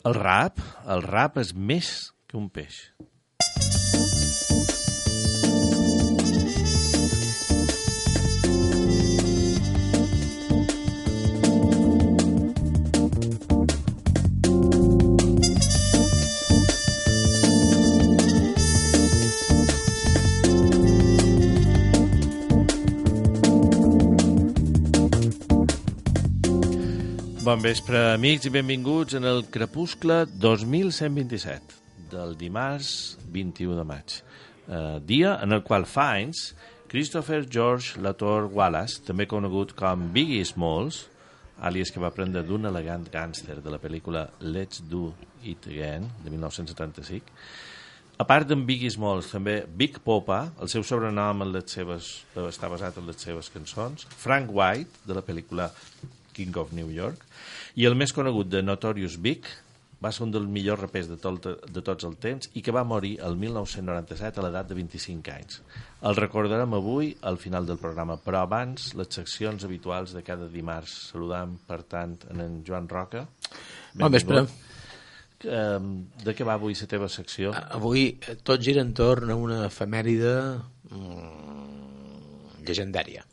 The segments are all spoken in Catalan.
El rap és més que un peix. Bon vespre, amics, i benvinguts en el Crepuscle 2127 del dimarts 21 de maig. Dia en el qual Fiennes, Christopher George Latour Wallace, també conegut com Biggie Smalls, àlies que va prendre d'un elegant gàngster de la pel·lícula Let's Do It Again, de 1975. A part d'en Biggie Smalls, també Big Poppa, el seu sobrenom està basat en les seves cançons, Frank White, de la pel·lícula King of New York, i el més conegut de Notorious Big, va ser un dels millors rapers de tots els temps i que va morir el 1997 a l'edat de 25 anys. El recordarem avui al final del programa, però abans les seccions habituals de cada dimarts. Saludam, per tant, en Joan Roca. Bon vespre. De què va avui la teva secció? Avui tot gira entorn a una efemèride llegendària.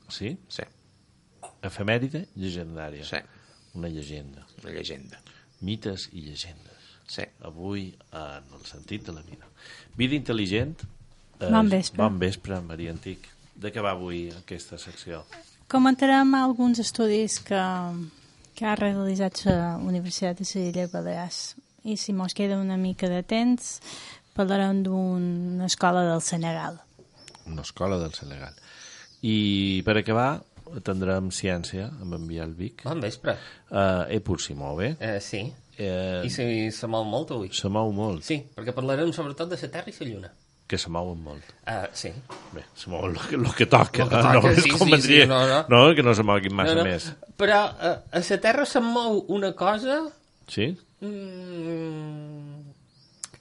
Sí? Sí. Efemèride llegendària. Sí. Una llegenda. Una llegenda. Mites i llegendes. Sí. Avui, en el sentit de la vida. Vida intel·ligent. Bon vespre. Bon vespre, Maria Antic. De què va avui aquesta secció? Comentarem alguns estudis que ha realitzat la Universitat de les Illes Balears. I si mos queda una mica de temps, parlarem d'una escola del Senegal. Una escola del Senegal. I per acabar, tindrem ciència amb en Biel Vic. Bon vespre. Pur si mou bé. Sí. I se mou molt avui. Se mou molt. Sí, perquè parlarem sobretot de la Terra i la Lluna. Que se mouen molt. Sí. Bé, se mou el que toca. Sí, no, que no se moguin massa més. Però a la Terra se'n mou una cosa... Sí?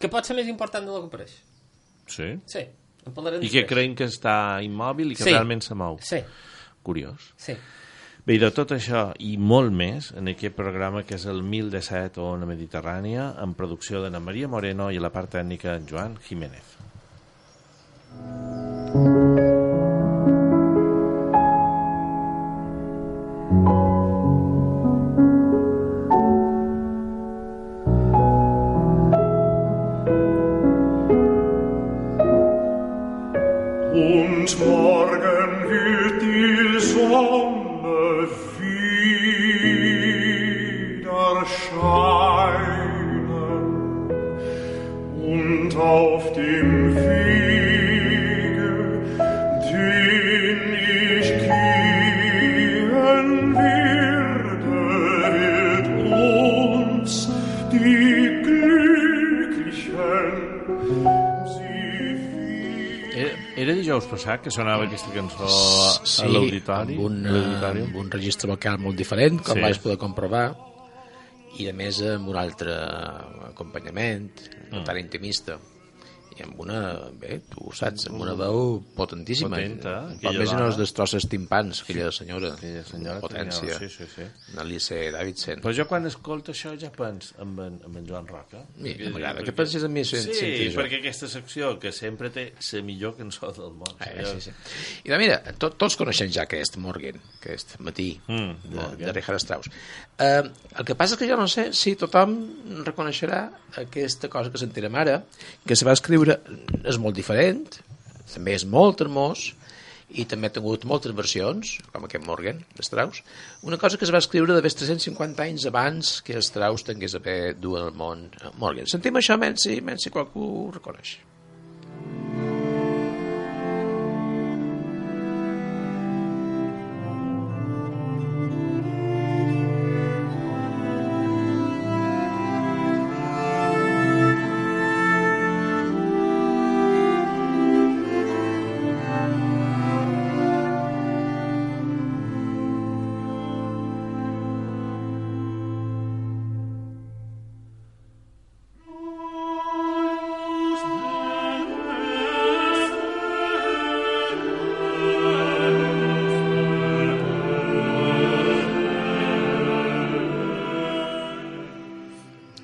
Que pot ser més important del que pareix. Sí? Sí. I que creiem que està immòbil i que realment se mou. Sí. Curiós. Sí. Bé, i de tot això i molt més en aquest programa que és el 1017 Ona Mediterrània, en producció d'Anna Maria Moreno i a la part tècnica en Joan Jiménez. Und morgen wird die Sonne wieder scheinen und auf dem Wege, den ich gehen werde, wird uns die Glücklichen Era dijous passat que sonava aquesta cançó a l'auditori? Sí, amb un registre vocal molt diferent, com vaig poder comprovar, i a més amb un altre acompanyament, no tan intimista, i amb una, bé, tu ho saps, amb una veu potentíssima. Potenta. Pot més no es destrossa els timpans, aquella senyora. Aquella senyora. Potència. Sí. Alice Davidson. Però jo quan escolto això ja penso en en Joan Roca. M'agrada que pensis en mi. Sí, perquè aquesta secció que sempre té la millor cançó del món. Sí. I mira, tots coneixem ja aquest Morgen, aquest matí de Richard Strauss. El que passa és que jo no sé si tothom reconeixerà aquesta cosa que sentirem ara, que se va escriure, és molt diferent, també és molt hermós, i també ha tingut moltes versions, com aquest Morgen, de Strauss, una cosa que es va escriure de 350 anys abans que Strauss tingués a haver dur al món Morgen. Sentim això menys si qualcú ho reconeix.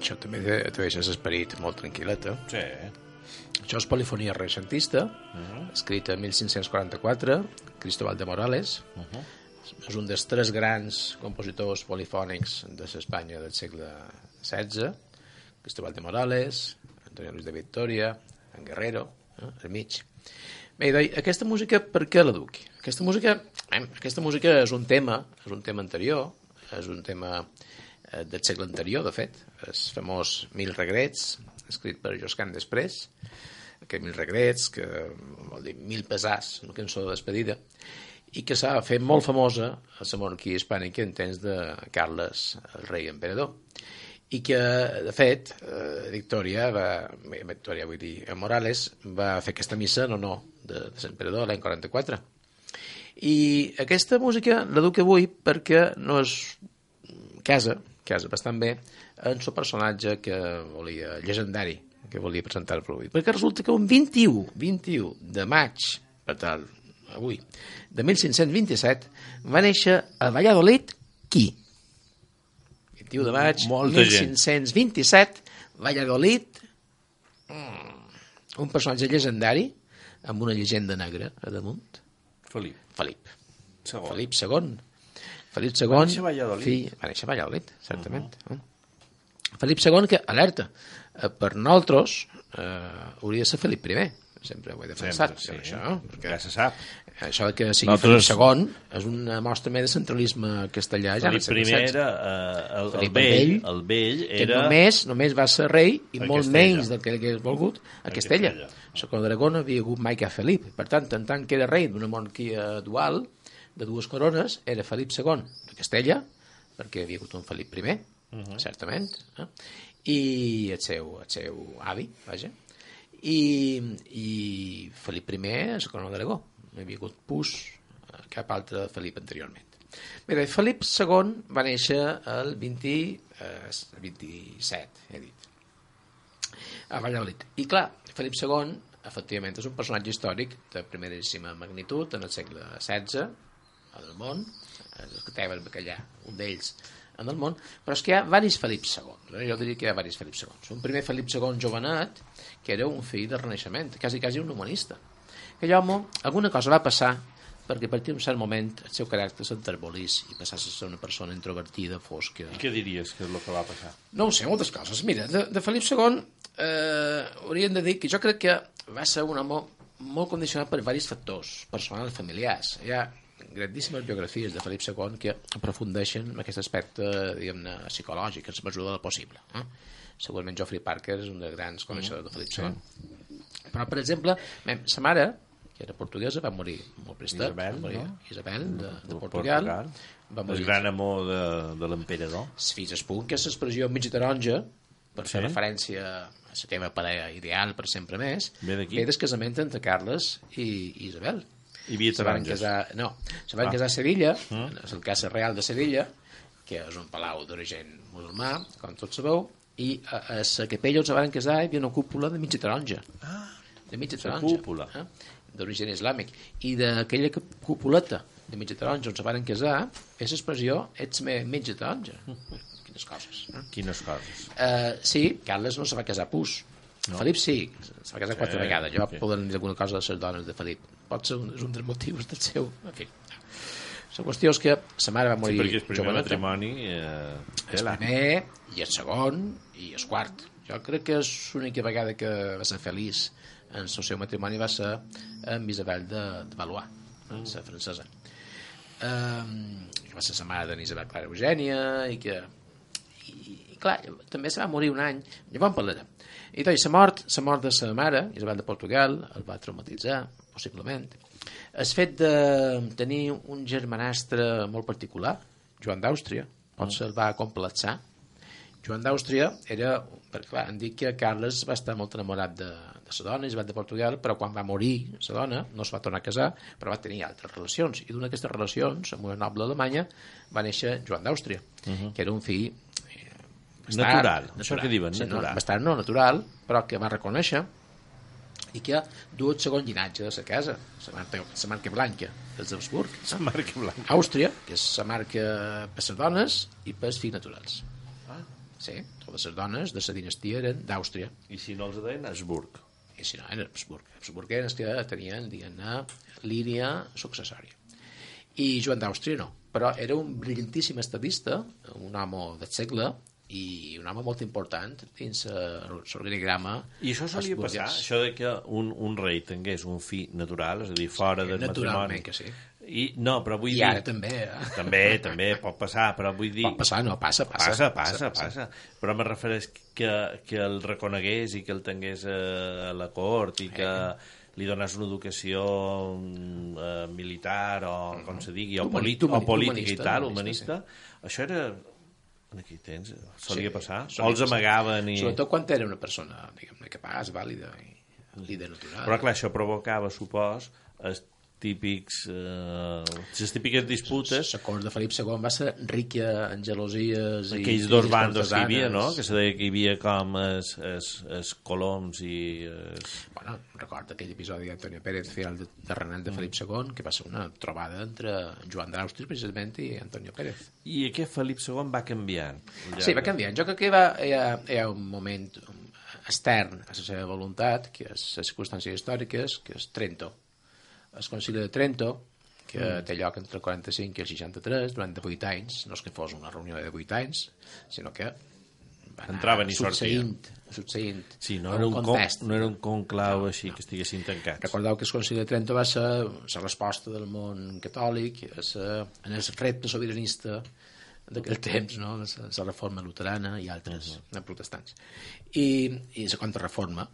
això també té l'esperit molt tranquil·let. Sí. Això és polifonia renaixentista, escrita en 1544, Cristóbal de Morales. És un dels 3 grans compositors polifònics de l'Espanya del segle XVI. Cristóbal de Morales, Antonio Luis de Victoria, en Guerrero, al mig. Bé, aquesta música, per què la duc? Aquesta música és un tema anterior, és un tema del segle anterior, de fet, el famós Mil regrets, escrit per Josquin després, que Mil regrets, que vol dir Mil pesars, una cançó de despedida, i que s'ha fet molt famosa a la monarquia hispànica en temps de Carles, el rei emperador, i que, de fet, Victoria, vull dir, Morales, va fer aquesta missa en honor de l'emperador l'any 44. I aquesta música la duc avui perquè no és casa bastant bé en el personatge que volia, llegendari, que volia presentar-lo avui. Perquè resulta que un 21 de maig, per tal, avui, de 1527, va néixer a Valladolid qui? 21 de maig, 1527, Valladolid, un personatge llegendari amb una llegenda negra a damunt. Felip II. Va néixer a Valladolid. Va néixer a Valladolid, certament. Felip II, que, alerta, per nosaltres hauria de ser Felip I. Sempre ho he defensat. Sempre, sí. Això, perquè ja se sap. Això que sigui Felip II és una mostra més de centralisme castellà. Felip I era el vell era... Que només va ser rei i molt menys del que hagués volgut a Castella. La corona d'Aragó no havia hagut mai cap Felip. Per tant que era rei d'una monarquia dual, de 2 corones, era Felip II de Castella, perquè havia hagut un Felip I, certament, i el seu avi, vaja, i Felip I a la corona d'Aragó. No hi havia hagut cap altre Felip anteriorment. Bé, Felip II va néixer el 27, he dit, a Valladolid. I clar, Felip II, efectivament, és un personatge històric de primeríssima magnitud en el segle XVI, en el món, els que tenen bacallà, un d'ells en el món, però és que hi ha diversos Felip II. Jo diria que hi ha diversos Felip II. Un primer Felip II jovenet, que era un fill del Renaixement, quasi un humanista. Aquell home, alguna cosa va passar perquè a partir d'un cert moment el seu caràcter s'enterbolís i passés a ser una persona introvertida, fosca. I què diries que és el que va passar? No ho sé, moltes coses. Mira, de Felip II hauríem de dir que jo crec que va ser un home molt condicionat per diversos factors personals, familiars. Hi ha grandíssimes biografies de Felip II que aprofundeixen en aquest aspecte, diguem-ne, psicològic, en la mesura del possible. Segurament Geoffrey Parker és un dels grans coneixedors de Felip II. Però, per exemple, sa mare, que era portuguesa, va morir molt prestat. Isabel, de Portugal. Va morir. El gran amor de l'emperador. Fins al punt que l'expressió mig taronja, per fer referència a la teva parella ideal per sempre més, ve del casament entre Carles i Isabel. Hi havia taronges? Se van casar a Sevilla, és el Casa Real de Sevilla, que és un palau d'origen musulmà, com tots sabeu, i a la capella on se van casar hi havia una cúpula de mitja taronja. De mitja taronja. D'origen islàmic. I d'aquella cúpuleta de mitja taronja on se van casar és l'expressió ets mitja taronja. Quines coses. Quines coses. Sí, Carles no se va casar pus. Felip sí, se va casar 4 vegades. Jo poder dir alguna cosa de les dones de Felip. Pot ser un dels motius del seu... En fi. La qüestió és que sa mare va morir perquè el primer matrimoni... El primer, i el segon, i el quart. Jo crec que és l'única vegada que va ser feliç en el seu matrimoni va ser amb Isabel de Valois, la francesa. Que va ser la mare d'Isabel Clara Eugènia i que... I clar, també se va morir un any, llavors en parlarem. I doncs, la mort de sa mare, Isabel de Portugal, el va traumatitzar, possiblement. El fet de tenir un germanastre molt particular, Joan d'Àustria, potser el va complexar. Joan d'Àustria era... Perquè, clar, em dic que Carles va estar molt enamorat de la dona, Isabel de Portugal, però quan va morir la dona no es va tornar a casar, però va tenir altres relacions. I d'una d'aquestes relacions, amb una noble alemanya, va néixer Joan d'Àustria, que era un fill... Natural, això que diuen, natural. Bastant no natural, però que va reconèixer i que du el segon llinatge de la casa, la marca blanca dels Habsburg. La marca blanca. Àustria, que és la marca per les dones i per els fills naturals. Sí, totes les dones de la dinastia eren d'Àustria. I si no els deien, Habsburg. I si no, eren Habsburg. Habsburg eren els que tenien, diguem-ne, línia successòria. I Joan d'Àustria no, però era un brillantíssim estadista, un home del segle, i un home molt important dins l'organigrama. I això solia passar, això de que un rei tingués un fill natural, és a dir, fora del matrimoni. Naturalment que sí. No, però vull dir... I ara també, També pot passar, però vull dir... Pot passar, no, passa. Passa. Però me refereix que el reconegués i que el tingués a la cort i que li donés una educació militar o com se digui, o política i tal, humanista. Això era... En aquell temps solia passar. O els amagaven i... Sobretot quan era una persona, diguem-ne, capaç, vàlida i líder natural. Però clar, això provocava, supos, les típiques disputes. La cort de Felip II va ser rica en gelosies i... Aquells dos bandos que hi havia, no? Que se deia que hi havia com els coloms i... Bueno, recorda aquell episodi d'Antonio Pérez, fill de Renat de Felip II, que va ser una trobada entre Joan d'Àustria, precisament, i Antonio Pérez. I aquest Felip II va canviant. Sí, va canviant. Jo crec que hi ha un moment extern a la seva voluntat, que és les circumstàncies històriques, que és Trento. El Concili de Trento, que té lloc entre el 45 i el 63, durant 8 anys, no és que fos una reunió de 8 anys, sinó que entraven i sortien. Succeint sí, no era un conclau així que estiguessin tancats. Recordeu que el Concili de Trento va ser la resposta del món catòlic en el repte sobiranista d'aquell temps, no? La reforma luterana i altres protestants. I la contrarreforma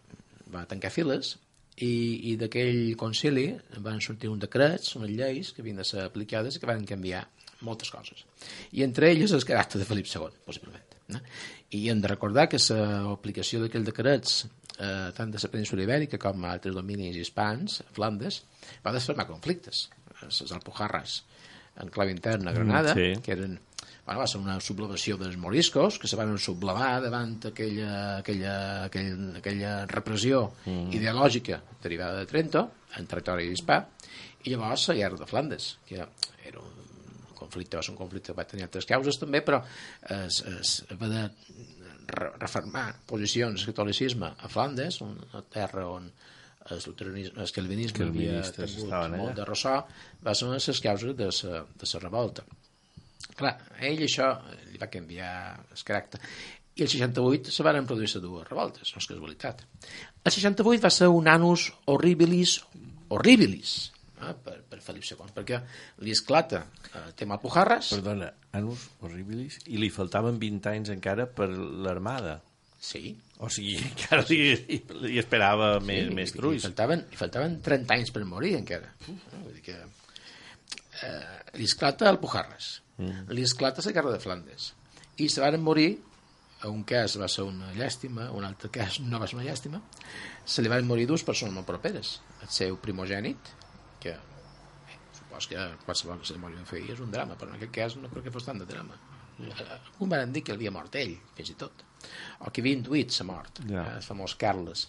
va tancar files i d'aquell concili van sortir uns decrets, unes lleis que havien de ser aplicades i que van canviar moltes coses. I entre elles el caràcter de Felip II, possiblement. I hem de recordar que l'aplicació d'aquells decrets, tant de la península ibèrica com a altres dominis hispans, Flandes, va desfermar conflictes. Les Alpujarras, en clau interna a Granada, que eren... Bueno, va ser una sublevació dels moriscos que se van sublevar davant aquella repressió ideològica derivada de Trento en territori hispà, i llavors la guerra de Flandes, que era un conflicte, va ser un conflicte que va tenir altres causes també, però va de reformar posicions del catolicisme a Flandes, una terra on el calvinisme havia tingut molt de ressò, va ser una de les causes de la revolta. Clar, a ell això li va canviar el caràcter. I el 68 se van produir dues revoltes, no és casualitat. El 68 va ser un annus horribilis per Felip II, perquè li esclata el tema Alpujarras. Perdona, annus horribilis, i li faltaven 20 anys encara per l'armada. Sí. O sigui, encara li esperava més trulls. Li faltaven 30 anys per morir encara. Vull dir que li esclata Alpujarras. Li esclata la guerra de Flandes i se van morir. Un cas va ser una llàstima, un altre cas no va ser una llàstima. Se li van morir dues persones molt properes, el seu primogènit, que supos que qualsevol que se li moria un fill és un drama, però en aquest cas no crec que fos tant de drama. Un van dir que havia mort ell, fins i tot, o que havia intuït la mort, el famós Carles,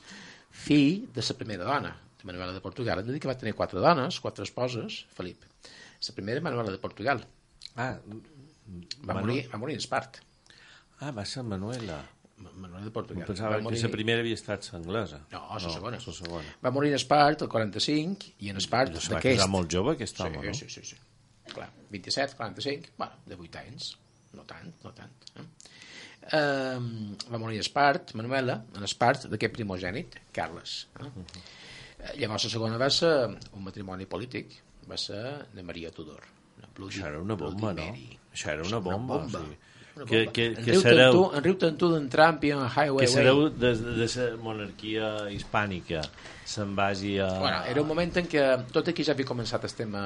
fill de la primera dona de Manuela de Portugal. Hem de dir que va tenir 4 dones, 4 esposes, Felip. La primera, Manuela de Portugal. Va morir en Espart. Va ser Manuela de Portugal. Pensava que la primera havia estat l'anglesa. No, la segona. Va morir en Espart el 45 i en Espart d'aquest. Va quedar molt jove aquest home, no? Sí. Clar, 27, 45, bueno, de 8 anys. No tant. Va morir a Espart, Manuela, en Espart d'aquest primogènit, Carles. Llavors la segona va ser un matrimoni polític, va ser de Maria Tudor. Això era una bomba, no? Això era una bomba. En riu tant tu d'en Trump i en Highway. Que sereu de la monarquia hispànica se'n vagi a... Bueno, era un moment en què tot aquí ja havia començat el tema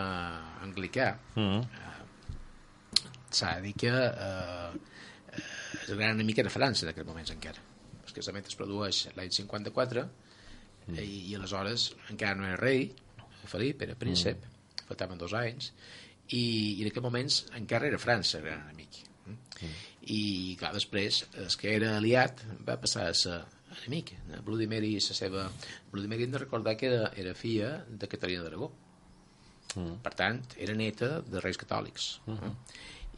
anglicà. S'ha de dir que el gran enemic era França en aquell moment encara. El casament es produeix l'any 54 i aleshores encara no era rei, Felip era príncep, faltaven 2 anys, i en aquells moments encara era França el gran enemic. I clar, després el que era aliat va passar a ser enemic. Bloody Mary hem de recordar que era filla de Caterina d'Aragó. Per tant, era neta de reis catòlics.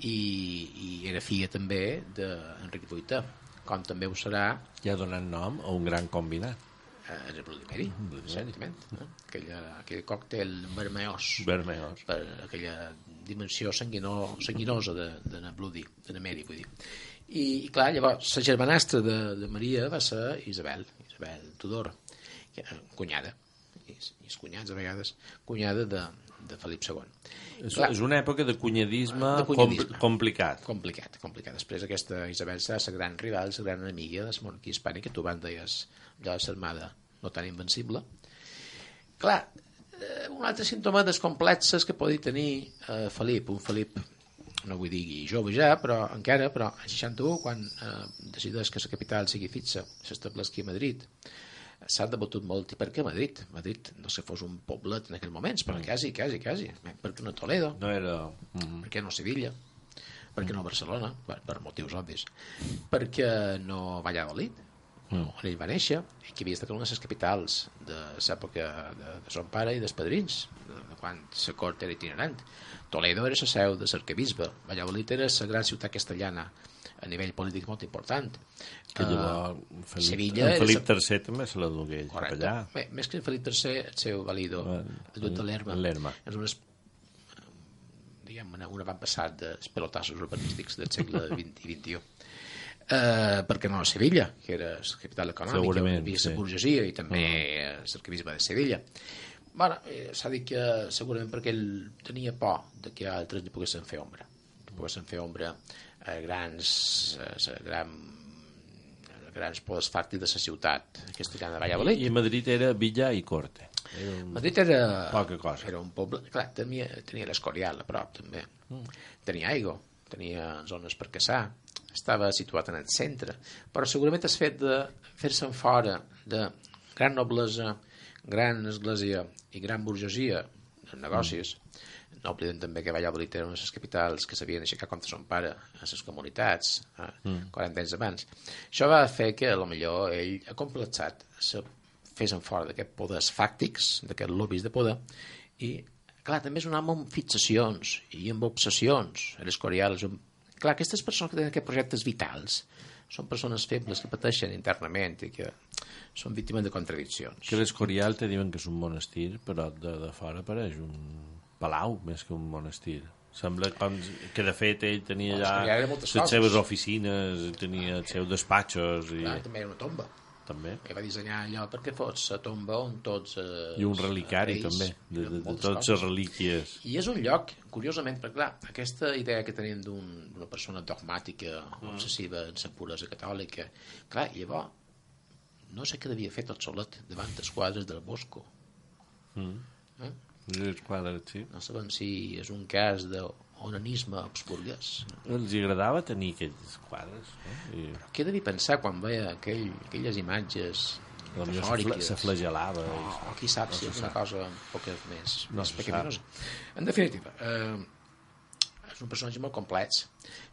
i era filla també d'Enric VIII, com també ho serà Ja donant nom a un gran combinat. el Bloody Mary, certament. Aquell còctel vermellós, per aquella dimensió sanguinosa de Bloody, de Mary, vull dir. I clar, llavors, la germanastra de Maria va ser Isabel Tudor, cunyada, i els cunyats a vegades, cunyada de Felip II. És una època de cunyadisme, complicat. Complicat. Després aquesta Isabel serà la gran rival, la gran enemiga de la monarquia hispànica, tu abans deies de la armada no tan invencible. Clar, un altre símptoma dels complexes que podi tenir Felip, un Felip, no vull dir jove ja, però encara, però a 61, quan decideix que la capital sigui fixa, s'establesqui a Madrid, s'ha debatut molt. I per què Madrid? Madrid no se fos un poblet en aquells moments, però quasi. Per què no Toledo? No era... Per què no Sevilla? Per què no Barcelona? Per motius obvis. Per què no Valladolid? On ell va néixer, i que havia estat una de les capitals de l'època de son pare i dels padrins, de quan la cort era itinerant. Toledo era la seu de l'arquebisbe, Valladolid era la gran ciutat castellana a nivell polític molt important. Que llavors Felip III també se la dugué cap allà. Bé, més que Felip III, el seu valido, el duc de Lerma. És un avantpassat dels pelotassos urbanístics del segle XX i XXI. Perquè no a Sevilla, que era la capital econòmica, on hi havia la burgesia i també l'arquebisbe de Sevilla. Bueno, s'ha dit que segurament perquè ell tenia por de que altres li poguessin fer ombra. A grans poders fàctics de la ciutat castellana de Valladolid. I Madrid era villa i corte. Madrid era poca cosa. Era un poble, clar, tenia l'Escorial a prop també. Tenia aigua, tenia zones per caçar, estava situat en el centre, però segurament el fet de fer-se'n fora de gran noblesa, gran església i gran burgesia en negocis. No oblidem també que Valladolid era una de les capitals que s'havien aixecat contra son pare a les comunitats 40 anys abans. Això va fer que potser ell, acomplexat, se fessin fora d'aquests poders fàctics, d'aquests lobbies de poder, i clar, també és un home amb fixacions i amb obsessions. L'Escorial és un... Clar, aquestes persones que tenen aquests projectes vitals són persones febles que pateixen internament i que són víctimes de contradiccions. Que l'Escorial te diuen que és un monestir, però de fora pareix un palau més que un monestir. Sembla com que de fet ell tenia allà les seves oficines, tenia els seus despatxos. Clar, també era una tomba. També. I va dissenyar allò perquè fos la tomba on tots... I un relicari també, de totes les relíquies. I és un lloc, curiosament, perquè clar, aquesta idea que tenim d'una persona dogmàtica, obsessiva en la puresa catòlica, clar, llavors, no sé què devia fer tot solet davant dels quadres del Bosco. Els quadres, sí. No sabem si és un cas d'onanisme habsburguès. Els agradava tenir aquells quadres. Però què devia pensar quan veia aquelles imatges metafòriques? Se flagel·lava. O qui sap si és una cosa un poc més pecaminosa. En definitiva, és un personatge molt complex.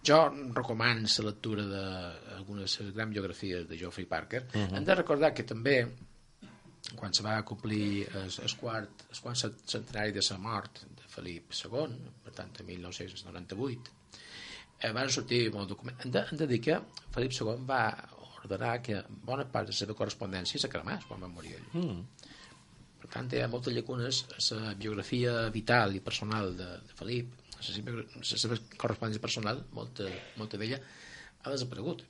Jo recomano la lectura d'algunes grans biografies de Geoffrey Parker. Hem de recordar que també quan se va complir el quart centenari de la mort de Felip II, per tant, en 1998, van sortir molts documents. Hem de dir que Felip II va ordenar que bona part de la seva correspondència se cremés quan va morir ell. Per tant, hi ha moltes llacunes a la biografia vital i personal de Felip, la seva correspondència personal, molta d'ella ha desaparegut.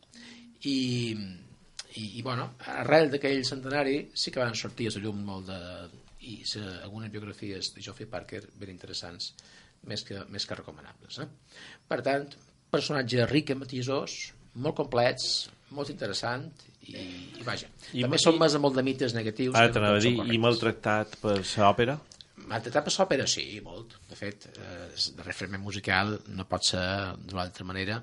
I bueno, arrel d'aquell centenari sí que van sortir a la llum molt algunes biografies de Geoffrey Parker ben interessants, més que recomanables. Per tant, personatge ric en matissos, molt complets, molt interessant i vaja. També són més molt de mites negatius. I maltractat per l'òpera? Maltractat per l'òpera, sí, molt. De fet, el referent musical no pot ser d'una altra manera.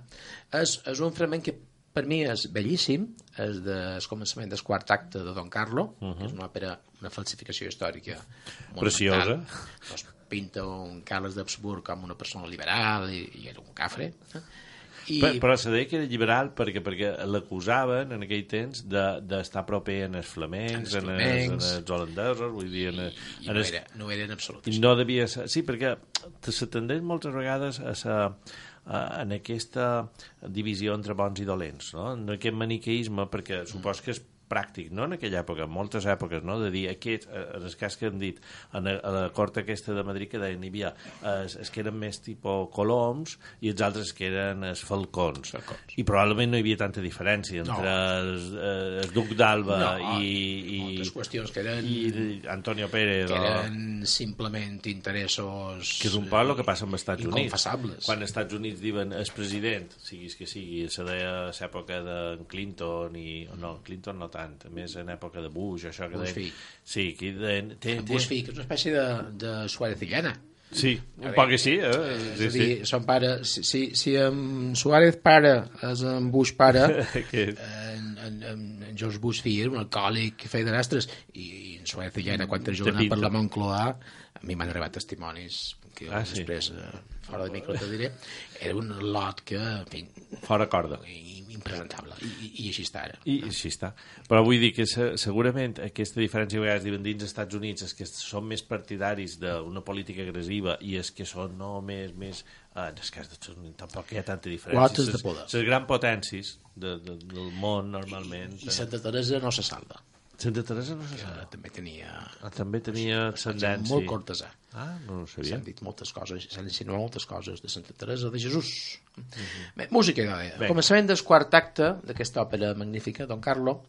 És un fragment que per mi és bellíssim, és del començament del quart acte de Don Carlo, que és una òpera, una falsificació històrica preciosa. Doncs pinta un Carles d'Habsburg com una persona liberal i era un cafre. Però se deia que era liberal perquè l'acusaven en aquell temps d'estar proper en els flamencs, en els holandesos, vull dir... No era en absolut. No devia ser... Sí, perquè se tendeix moltes vegades a en aquesta divisió entre bons i dolents, no? En aquest maniqueisme, perquè supos que és pràctic, no?, en aquella època, en moltes èpoques, no?, de dir, aquest, en el cas que han dit a la cort aquesta de Madrid, que deien, hi havia els que eren més tipus coloms i els altres que eren els falcons. I probablement no hi havia tanta diferència entre el duc d'Alba i moltes qüestions que eren i Antonio Pérez, que eren simplement interessos que és un poc el que passa amb els Estats Units. inconfessables. Quan els Estats Units diuen el president, siguis que sigui, se deia a l'època de Clinton no, Clinton no tant, més en època de Bush, això que Bush deien... fi. Sí, que Bush fi, que és una espècie de Suárez i Llana. Sí, un poc que sí, És a dir, son pare, si en Suárez pare és en Bush pare, en George Bush fill era un alcohòlic que feia de rastres, i en Suárez i Llana, quan era jugant per la Moncloa, a mi m'han arribat testimonis que després, fora de micro te diré, era un lot que, en fi, fora corda, impresentable, i així està ara. I així està. Però vull dir que segurament aquesta diferència que vegades diuen dins dels Estats Units, els que són més partidaris d'una política agressiva i els que són no més en el cas dels Estats Units tampoc hi ha tanta diferència. Quotes de poder. Les grans potències del món normalment. I Santa Teresa no se salva. Santa Teresa no se salva. També tenia ascendència. Molt cortesà. No ho sabia. S'han dit moltes coses, s'han insinuat moltes coses de Santa Teresa de Jesús. Bé, música, idò. Començament del quart acte d'aquesta òpera magnífica, Don Carlo,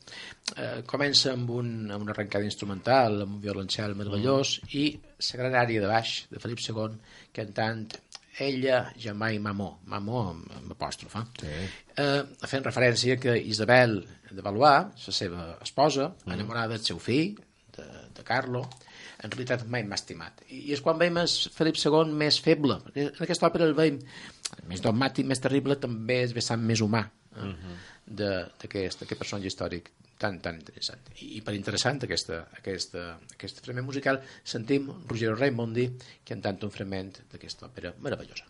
comença amb una arrencada instrumental, amb un violoncel meravellós, i la gran àrea de baix de Felip II, cantant Ella jamais mamó amb apòstrofa, fent referència que Isabel de Valois, la seva esposa, enamorada del seu fill, de Carlo, en realitat mai m'ha estimat. I és quan veiem el Felip II més feble. En aquesta òpera el veiem més dogmàtic, més terrible, també és vessant més humà d'aquest personatge històric tan interessant. I per interessant aquest fragment musical sentim Ruggero Raimondi cantant un fragment d'aquesta òpera meravellosa.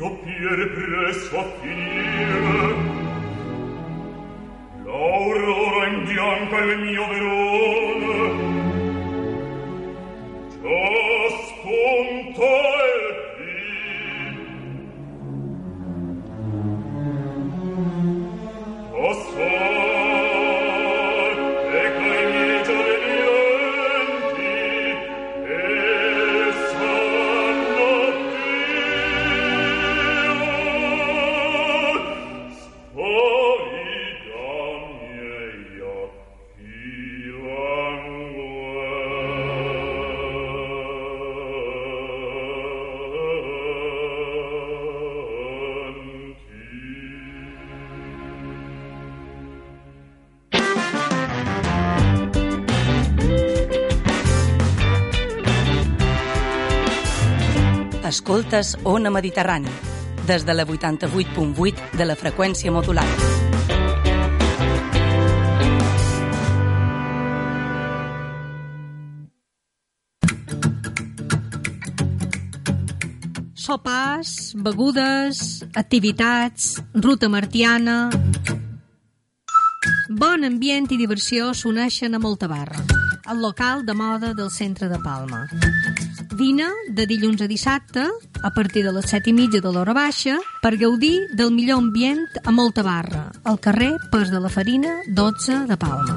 doppiere presso a finire. Laura nel mio Verona, già spunta il dì. Passar, ecco i miei giovani venti, e sanno Escoltes Ona Mediterrani, des de la 88.8 de la freqüència modulada. Sopars, begudes, activitats, ruta martiana... Bon ambient i diversió s'uneixen a Moltabarra, el local de moda del centre de Palma. Vine de dilluns a dissabte, a partir de les 7:30 de l'hora baixa, per gaudir del millor ambient a Moltabarra, al carrer Pas de la Farina, 12 de Palma.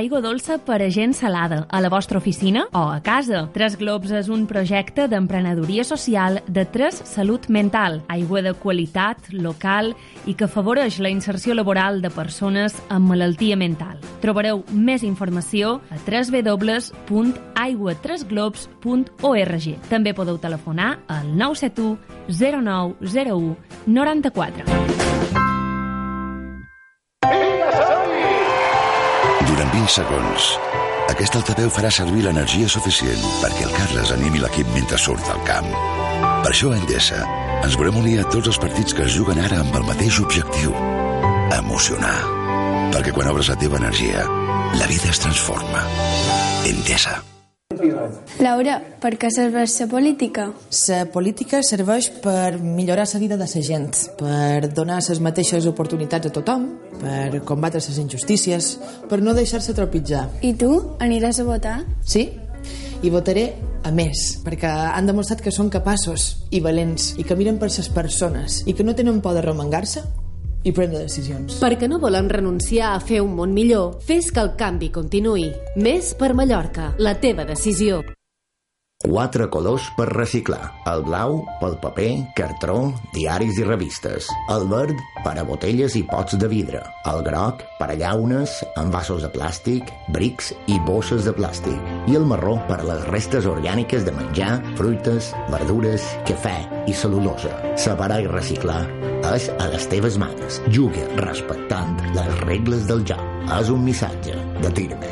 Aigua dolça per a gent salada, a la vostra oficina o a casa. Tres Globs és un projecte d'emprenedoria social de Tres Salut Mental, aigua de qualitat, local i que afavoreix la inserció laboral de persones amb malaltia mental. Trobareu més informació a www.aiguatresglobs.org. També podeu telefonar al 971 0901 94. Durant 20 segons, aquest altaveu farà servir l'energia suficient perquè el Carles animi l'equip mentre surt al camp. Per això a Endesa ens volem unir a tots els partits que es juguen ara amb el mateix objectiu: emocionar. Perquè quan obres la teva energia, la vida es transforma. Endesa. Laura, per què serveix la política? La política serveix per millorar la vida de la gent, per donar les mateixes oportunitats a tothom, per combatre les injustícies, per no deixar-se tropitjar. I tu, aniràs a votar? Sí, i votaré a més, perquè han demostrat que són capaços i valents i que miren per les persones i que no tenen por de remengar-se i prendre decisions. Perquè no volem renunciar a fer un món millor, fes que el canvi continuï. Més per Mallorca, la teva decisió. 4 colors per reciclar. El blau pel paper, cartró, diaris i revistes. El verd per a botelles i pots de vidre. El groc per a llaunes, envasos de plàstic, brics i bosses de plàstic. I el marró per a les restes orgàniques de menjar, fruites, verdures, cafè i cel·lulosa. Separar i reciclar és a les teves mans. Juga respectant les regles del joc. És un missatge de Tirme.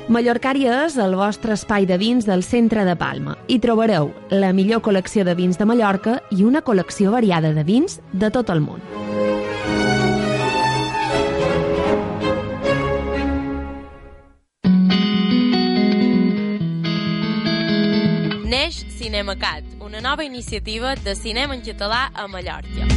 Mallorcària és el vostre espai de vins del centre de Palma. Hi trobareu la millor col·lecció de vins de Mallorca i una col·lecció variada de vins de tot el món. Neix CinemaCat, una nova iniciativa de cinema en català a Mallorca.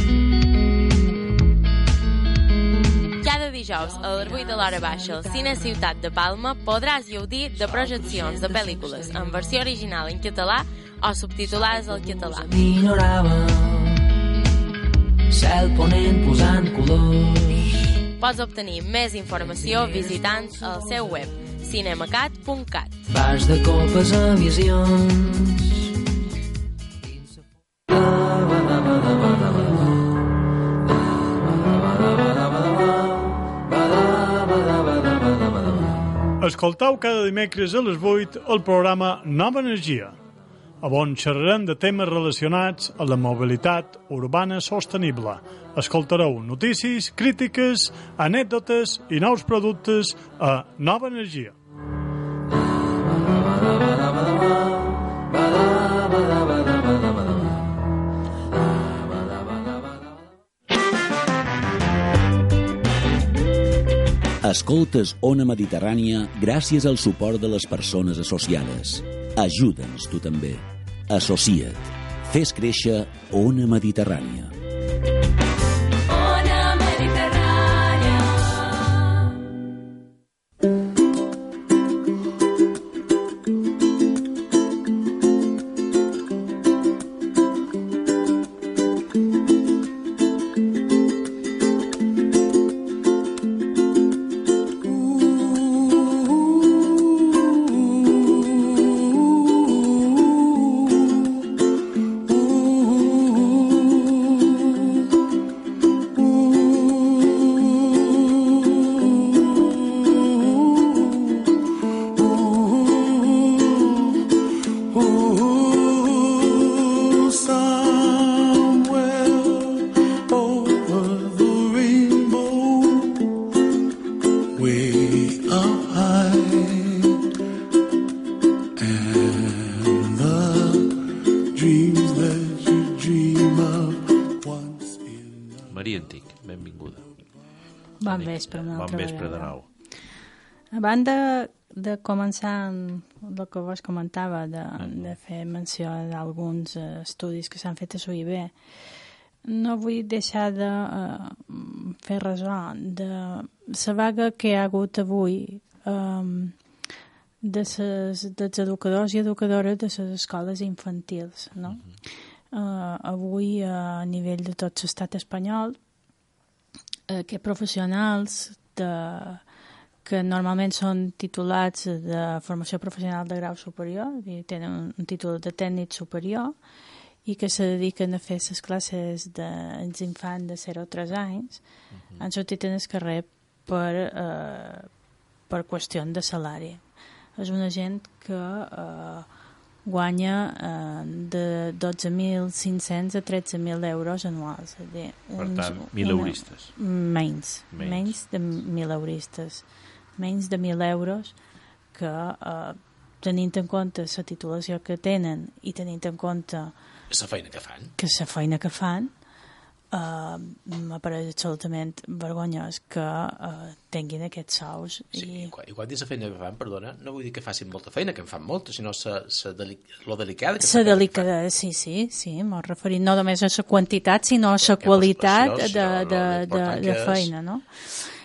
Cada dijous a les 8 de l'hora baixa al Cine Ciutat de Palma podràs gaudir de projeccions de pel·lícules en versió original en català o subtitulades al català. Cel ponent posant colors. Pots obtenir més informació visitant el seu web cinemacat.cat. Vas de copes a visions. Escoltau cada dimecres a les 8 el programa Nova Energia, on xerrarem de temes relacionats amb la mobilitat urbana sostenible. Escoltareu notícies, crítiques, anècdotes i nous productes a Nova Energia. Escoltes Ona Mediterrània gràcies al suport de les persones associades. Ajuda'ns tu també. Associa't. Fes créixer Ona Mediterrània. Ona Mediterrània. Maria Antic, benvinguda. Bon vespre, una altra Bon vespre de vegada. nou. A banda de començar amb el que vos comentava, de fer menció d'alguns estudis que s'han fet a SUIB, no vull deixar de fer ressò de la vaga que hi ha hagut avui dels educadors i educadores de les escoles infantils, no? Avui, a nivell de tot l'estat espanyol, que professionals que normalment són titulats de formació professional de grau superior, i tenen un títol de tècnic superior, i que se dediquen a fer les classes dels infants de 0 a 3 anys, han sortit en el carrer per qüestió de salari. És una gent que guanya de 12.500 a 13.000 euros anuals. Per tant, mileuristes. Menys de mileuristes. Menys de 1.000 euros que, tenint en compte la titulació que tenen i tenint en compte la feina que fan, m'apareix absolutament vergonyós que tinguin aquests sous. Sí, i quan dius la feina que fan, perdona, no vull dir que facin molta feina, que en fan molta, sinó lo delicada que la delicada, sí, m'ho referim no només a la quantitat, sinó a la qualitat de feina, no?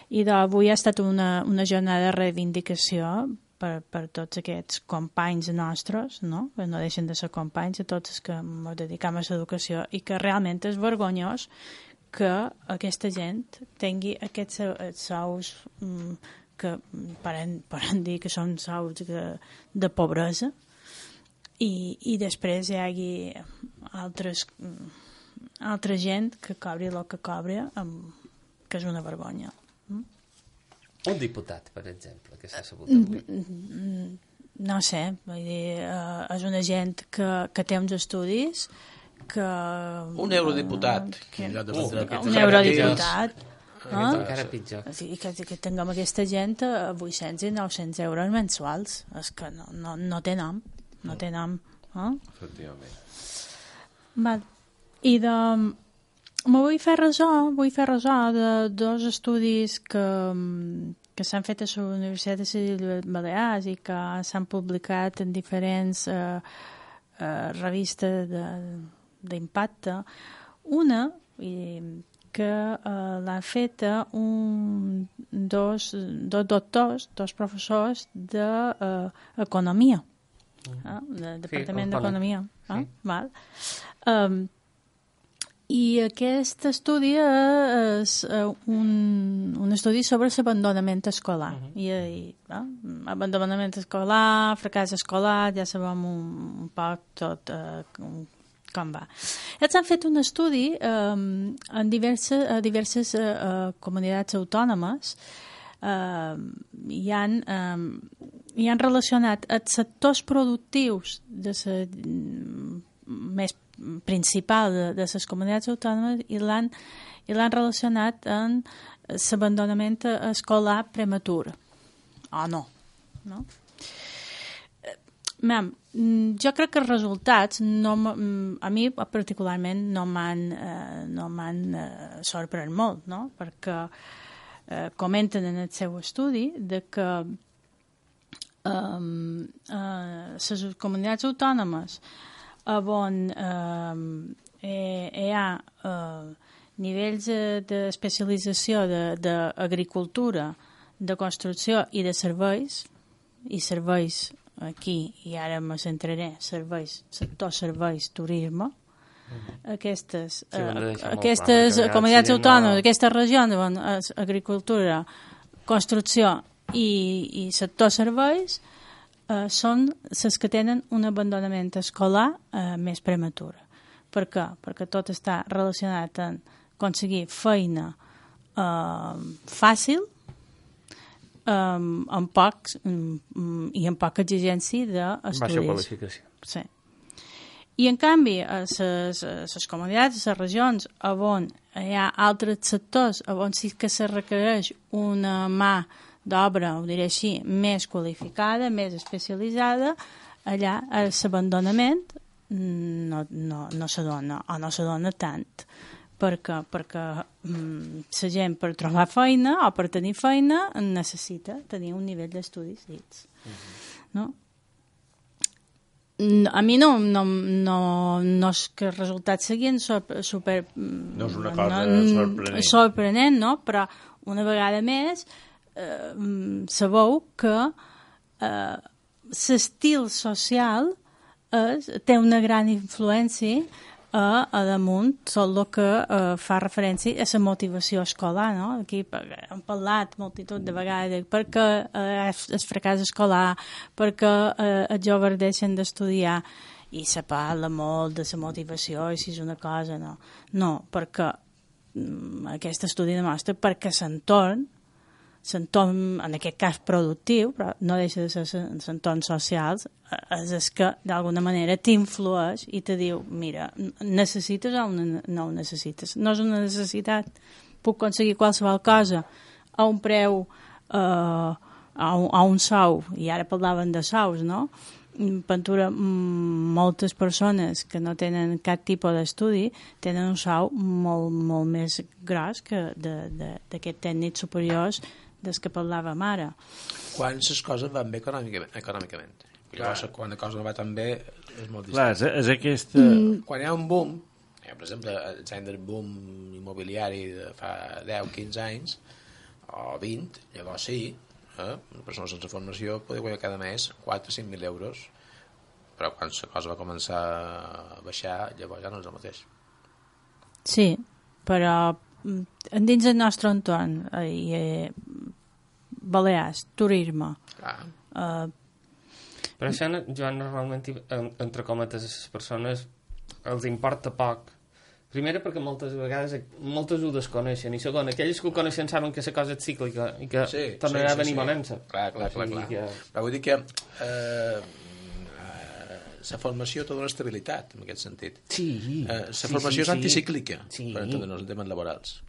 I avui ha estat una jornada de reivindicació per tots aquests companys nostres, no? Que no deixen de ser companys, a tots els que ens dedicam a l'educació, i que realment és vergonyós que aquesta gent tingui aquests sous que poden dir que són sous de pobresa, i després hi hagi altra gent que cobri el que cobra, que és una vergonya. Un diputat, per exemple, que s'ha sabut avui. No sé, vull dir, és una gent que té uns estudis que... Un eurodiputat. Un eurodiputat. Encara pitjor. Que tinguem aquesta gent a 800 i 900 euros mensuals. És que no té nom. No té nom. Efectivament. I vull fer ressò de dos estudis que s'han fet a la Universitat de les Balears i que s'han publicat en diferents revistes d'impacte. Una que l'han fet dos doctors, dos professors d'economia, del Departament d'Economia. I aquest estudi és un estudi sobre l'abandonament escolar. Abandonament escolar, fracàs escolar, ja sabem un poc tot com va. Ells han fet un estudi en diverses comunitats autònomes i han relacionat els sectors productius més principal de les comunitats autònomes i l'han relacionat amb l'abandonament escolar prematur. No? Jo crec que els resultats a mi particularment no m'han sorprès molt, no? Perquè comenten en el seu estudi de que les comunitats autònomes on hi ha nivells d'especialització d'agricultura, de construcció i de serveis, i serveis aquí, i ara me centraré, serveis, sector serveis, turisme, aquestes comunitats autònomes, aquestes regions on agricultura, construcció i sector serveis són les que tenen un abandonament escolar més prematur. Per què? Perquè tot està relacionat amb aconseguir feina fàcil amb pocs i amb poca exigència d'estudis. Baixa qualificació. Sí. I en canvi, a les comunitats, a les regions on hi ha altres sectors on sí que se requereix una mà d'obra, ho diré així, més qualificada, més especialitzada, allà l'abandonament no se dona, o no se dona tant, perquè la gent per trobar feina o per tenir feina necessita tenir un nivell d'estudis dits. No? A mi no és que el resultat seguint super no és una cosa sorprenent, no? Però una vegada més sabeu que l'estil social té una gran influència a damunt tot el que fa referència a la motivació escolar, no? Aquí hem parlat multitud de vegades perquè el fracàs escolar, perquè els joves deixen d'estudiar, i se parla molt de la motivació i si és una cosa, no, perquè aquest estudi demostra perquè l'entorn, en aquest cas productiu, però no deixa de ser l'entorn social, és el que d'alguna manera t'influeix i te diu, mira, necessites o no ho necessites? No és una necessitat, puc aconseguir qualsevol cosa a un preu, a un sou, i ara parlaven de sous, no? Pentura, moltes persones que no tenen cap tipus d'estudi tenen un sou molt, molt més gros que d'aquests tècnics superiors dels que parlàvem ara. Quan les coses van bé econòmicament. Llavors, quan la cosa no va tan bé, és molt clar, distant. és aquesta... Quan hi ha un boom, per exemple, el boom immobiliari de fa 10-15 anys, o 20, llavors sí, una persona sense formació podia guanyar cada mes 4-5.000 euros, però quan la cosa va començar a baixar, llavors ja no és el mateix. Sí, però dins del nostre entorn, Balears, turisme... Però això, Joan, normalment, entre cometes, a les persones els importa poc. Primera, perquè moltes vegades moltes ho desconeixen, i segona, aquells que ho coneixen saben que la cosa és cíclica i que tornarà a venir malent-se. Clar. Però vull dir que la formació té una estabilitat, en aquest sentit. La formació és anticíclica, per entendre'ns en temes laborals.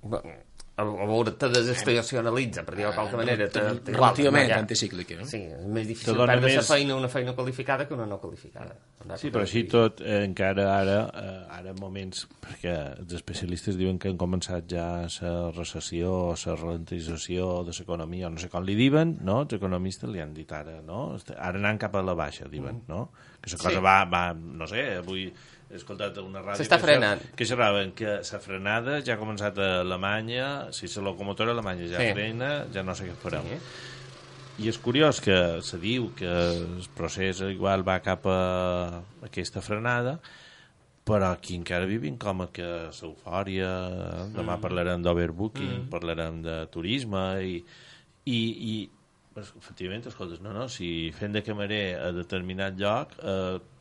A veure, te desestacionalitza, per dir-ho de qualque manera. Relativament anticíclica. Sí, és més difícil perdre la feina una feina qualificada que una no qualificada. Sí, però així tot, encara ara moments, perquè els especialistes diuen que han començat ja la recessió o la ralentització de l'economia, o no sé com li diuen, no? Els economistes li han dit ara, no? Ara anant cap a la baixa, diuen, no? Que la cosa va, no sé, avui he escoltat una ràdio s'està frenant, que xerraven que la frenada ja ha començat a Alemanya, si la locomotora alemanya ja frena, ja no sé què farem. I és curiós que se diu que el procés igual va cap a aquesta frenada, però aquí encara vivim com que l'eufòria, demà parlarem d'overbooking, parlarem de turisme i efectivament, escoltes, no, si fent de camarer a determinat lloc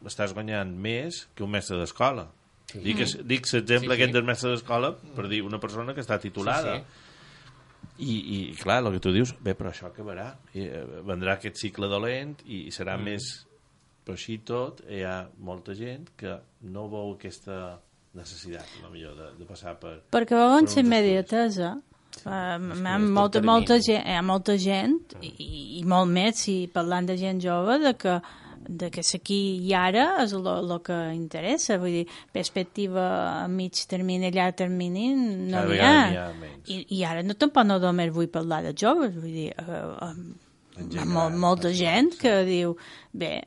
estàs guanyant més que un mestre d'escola. Dic l'exemple aquest del mestre d'escola per dir una persona que està titulada. I clar, el que tu dius, bé, però això acabarà. Vendrà aquest cicle dolent i serà més... Però així tot, hi ha molta gent que no veu aquesta necessitat, de passar per... Perquè veuen la immediatesa. Molta gent i molt més, si parlant de gent jove, de que aquí i ara és el que interessa, vull dir, perspectiva a mig termini, a llarg termini no n'hi ha. I ara tampoc no només vull parlar de joves, vull dir, molta gent que diu, bé,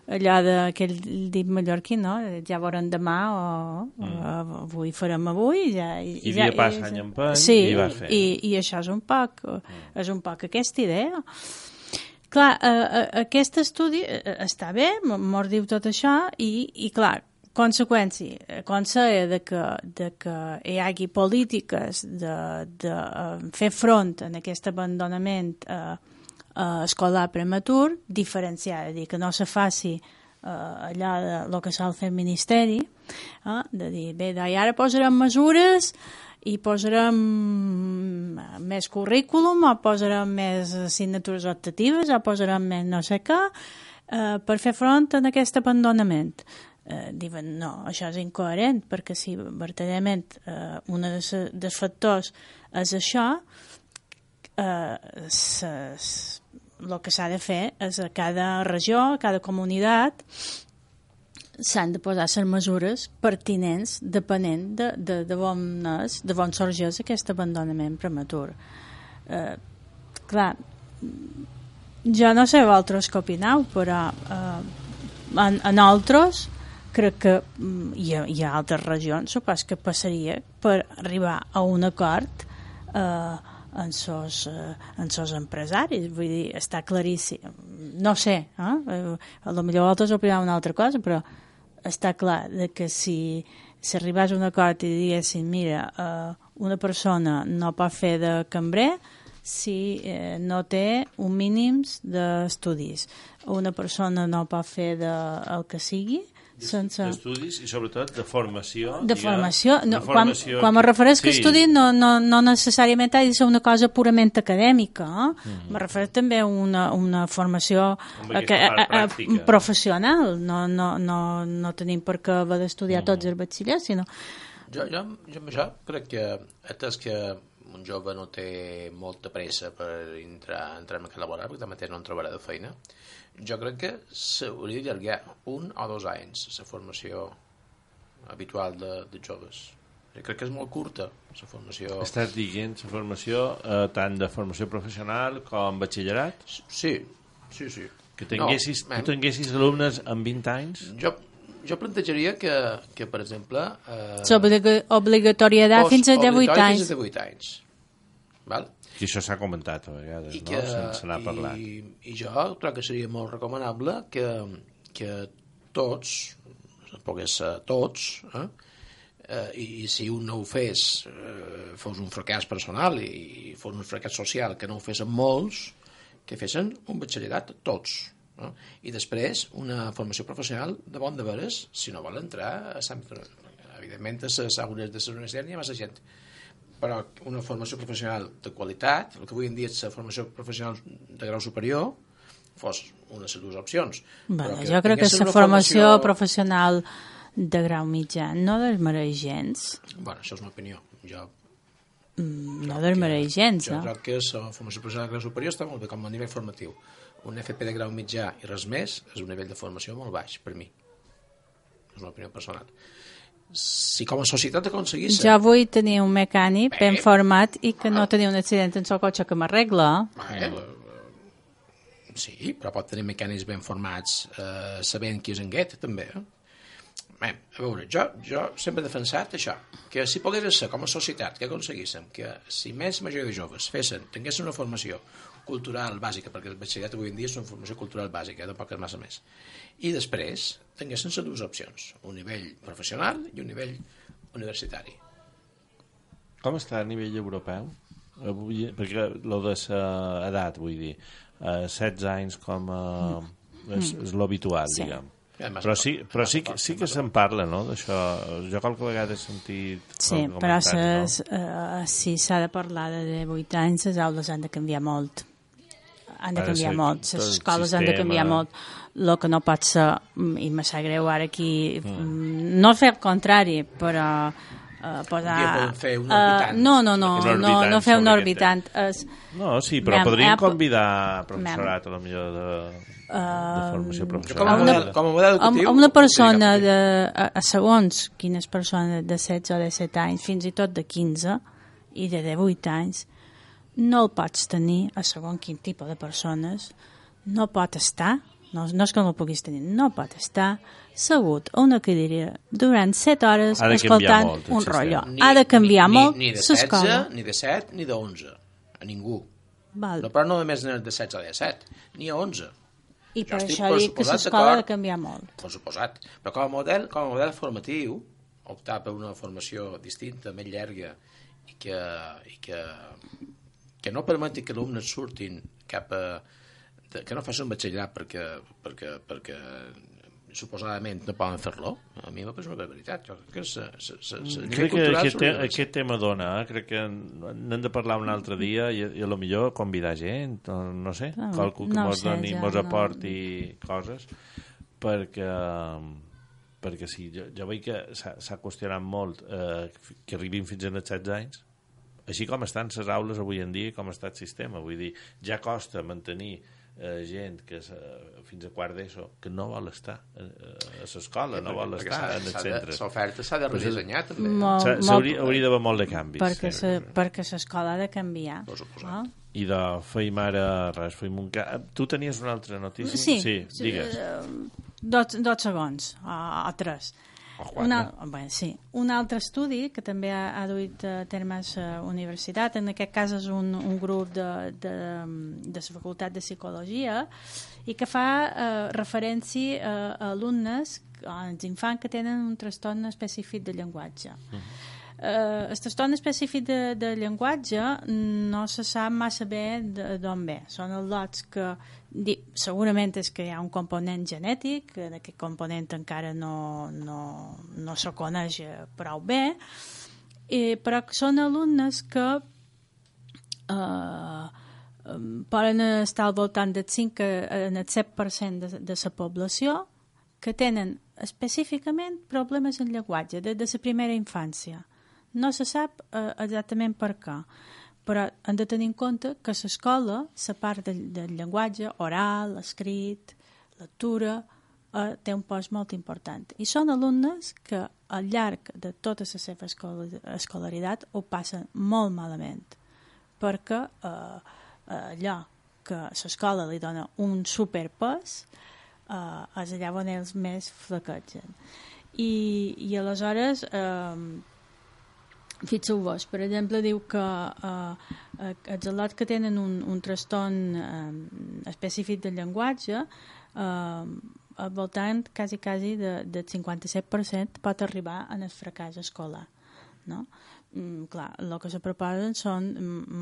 allò d'aquell dit mallorquí, no? Ja veurem demà o avui farem avui. I dia passa any en pany i vas fer. I això és un poc aquesta idea. Clar, aquest estudi està bé, mos diu tot això i clar, conseqüència de que hi hagi polítiques de fer front a aquest abandonament escolar prematur, diferenciar, dir que no se faci allò del que sol fer el Ministeri, de dir, bé, i ara posarem mesures i posarem més currículum o posarem més assignatures optatives o posarem més no sé què per fer front a aquest abandonament. Diuen, no, això és incoherent, perquè si verdaderament un dels factors és això, el que s'ha de fer és a cada regió, a cada comunitat, s'han de posar les mesures pertinents depenent de on sorgeix aquest abandonament prematur. Clar, jo no sé vosaltres què opineu, però en altres crec que hi ha altres regions, supos que passaria per arribar a un acord en sos empresaris, vull dir, està claríssim. No sé, potser altres opineu una altra cosa, però està clar que si arribés a un acord i diguessin, mira, una persona no pot fer de cambrer si no té un mínim d'estudis. Una persona no pot fer el que sigui sense... D'estudis i sobretot de formació. De formació. Quan me refereix que estudi no necessàriament ha de ser una cosa purament acadèmica. Me refereix també a una formació professional. No tenim per què haver d'estudiar tots els batxillers, sinó... Jo amb això crec que atès que un jove no té molta pressa per entrar en el mercat laboral, perquè també no en trobarà de feina, jo crec que s'hauria d'allargar 1 o 2 anys la formació habitual de joves. Jo crec que és molt curta la formació. Estàs dient la formació tant de formació professional com batxillerat? Sí. Que tu tinguessis alumnes amb 20 anys? Jo plantejaria que per exemple... Obligatorietat fins a 18 anys. Fins a 18 anys. Val? I això s'ha comentat a vegades, no? Se n'ha parlat. I jo crec que seria molt recomanable que tots, pogués ser tots, i si un no ho fes, fos un fracàs personal i fos un fracàs social que no ho fessin molts, que fessin un batxillerat tots. No? I després una formació professional de bon de veres, si no vol entrar a evidentment a les aules de la universitat hi ha massa gent, però una formació professional de qualitat, el que avui en dia és la formació professional de grau superior, fos una de les dues opcions. Jo crec que la formació professional de grau mitjà no desmereix gens. Bueno, això és una opinió. No desmereix gens, jo crec que la formació professional de grau superior està molt bé com a nivell formatiu. Un FP de grau mitjà i res més és un nivell de formació molt baix, per mi. És una opinió personal. Si com a societat aconseguís... Jo vull tenir un mecànic ben format i que no tenir un accident en el cotxe que m'arregla. Sí, però pot tenir mecànics ben formats sabent qui és en guet, també. A veure, jo sempre he defensat això, que si pogués ser com a societat que aconseguíssim que si més major de joves tinguessin una formació cultural bàsica, perquè el batxillerat avui en dia és una formació cultural bàsica, tampoc és massa més, i després tinguessin les dues opcions, un nivell professional i un nivell universitari. Com està a nivell europeu? Perquè lo de l'edat, vull dir, 16 anys com és l'habitual, diguem. Però sí que se'n parla, no?, d'això. Jo qualque vegada he sentit... Sí, però si s'ha de parlar de 18 anys, les aules han de canviar molt. Han de canviar molt. Les escoles han de canviar molt. El que no pot ser, i me sap greu ara aquí, no fer el contrari, però podem fer un orbitant. No fer un orbitant. No, sí, però podríem convidar professorat a la millor de formació professional. Com a model educatiu. Una persona a segons quines persones de 16 o 17 anys, fins i tot de 15 i de 18 anys, no el pots tenir a segons quin tipus de persones, no pot estar, no és que no el puguis tenir, no pot estar segut a una cadira durant 7 hores escoltant un rotllo. Ha de canviar molt l'escola. Ni de 7 ni de 11, a ningú. Val. No, però no només de 16 a 17, ni a 11. I per això dic que l'escola ha de canviar molt. Per suposat. Però com a model formatiu, optar per una formació distinta, més llarga, i que no permeti que alumnes surtin cap a... que no facin batxillerat perquè suposadament no poden fer-lo, a mi m'ha una veritat. Crec que aquest tema dona, crec que n'hem de parlar un altre dia i a lo millor convidar gent, no sé, qualcú que mos doni, mos aporti coses, perquè sí, jo veig que s'ha qüestionat molt que arribin fins als 16 anys, així com estan les aules avui en dia, com està el sistema, vull dir, ja costa mantenir gent que fins a quart d'ESO que no vol estar a l'escola, no vol estar en els centres. L'oferta s'ha de redissenyar també. Hauria d'haver molt de canvis. Perquè l'escola ha de canviar. I de feim ara res, feim un... Tu tenies una altra notícia? Sí, digues. 2 segons, o 3. Un altre estudi que també ha duit a termes universitat, en aquest cas és un grup de la Facultat de Psicologia, i que fa referència a alumnes, als infants que tenen un trastorn específic de llenguatge. El trastorn específic de llenguatge no se sap massa bé d'on ve. Són els lots que segurament és que hi ha un component genètic, aquest component encara no se coneix prou bé, però són alumnes que poden estar al voltant del 5 al 7% de la població que tenen específicament problemes en llenguatge de la primera infància. No se sap exactament per què, però hem de tenir en compte que a l'escola la part del llenguatge oral, escrit, lectura, té un post molt important. I són alumnes que al llarg de tota la seva escolaritat ho passen molt malament, perquè allò que l'escola li dona un superpès és allà on ells més flaquegen. I aleshores... Fixeu-vos, per exemple, diu que els al·lots que tenen un trastorn específic del llenguatge al voltant quasi del 57% pot arribar en el fracàs escolar, no? Clar, el que se proposen són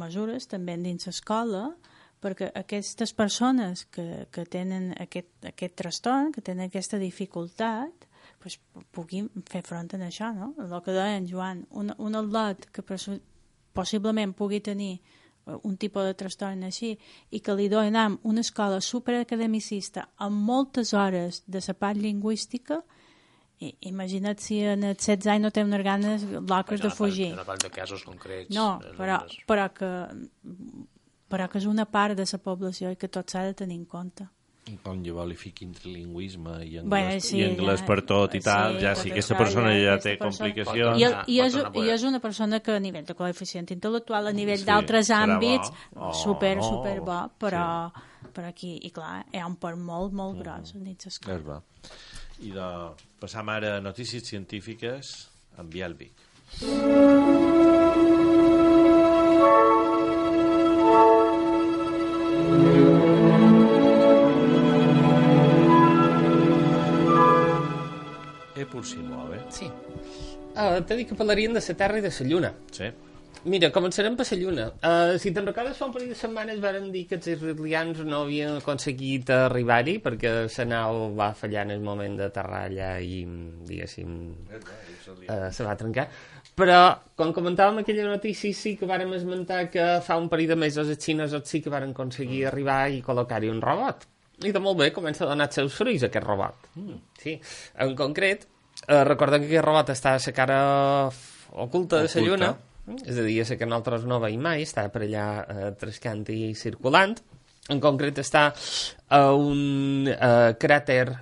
mesures també dins l'escola perquè aquestes persones que tenen aquest trastorn, que tenen aquesta dificultat, pues, puguin fer front a això, no? El que deia en Joan, un al·lot que possiblement pugui tenir un tipus de trastorn així i que li donem una escola superacademicista amb moltes hores de la part lingüística, imagina't si en els 16 anys no té unes ganes locres de fugir. No parlo de casos concrets. No, però que és una part de la població i que tot s'ha de tenir en compte. Com llavors li fiqui trilingüisme i anglès per tot i tal, ja si aquesta persona ja té complicacions... I és una persona que a nivell de coeficient intel·lectual, a nivell d'altres àmbits, super bo, però aquí, i clar, hi ha un part molt gros a nits escola. I de passam ara a notícies científiques amb Biel Vic. Por si muove. Sí. T'he dit que parlarien de la Terra i de la Lluna. Sí. Mira, començarem per la Lluna. Si te'n recordes, fa un parell de setmanes varen dir que els israelians no havien aconseguit arribar-hi perquè la nau va fallar en el moment d'aterrar allà i, diguéssim, se va trencar. Però, com comentàvem aquella notícia, sí que vàrem esmentar que fa un parell de mesos els xinesos sí que varen aconseguir arribar i col·locar-hi un robot. I de molt bé comença a donar els seus fruits, aquest robot. Sí. En concret, recordem que aquest robot està a la cara oculta de la Lluna, és a dir, a la que nosaltres no veiem mai, està per allà trescant i circulant. En concret està a un cràter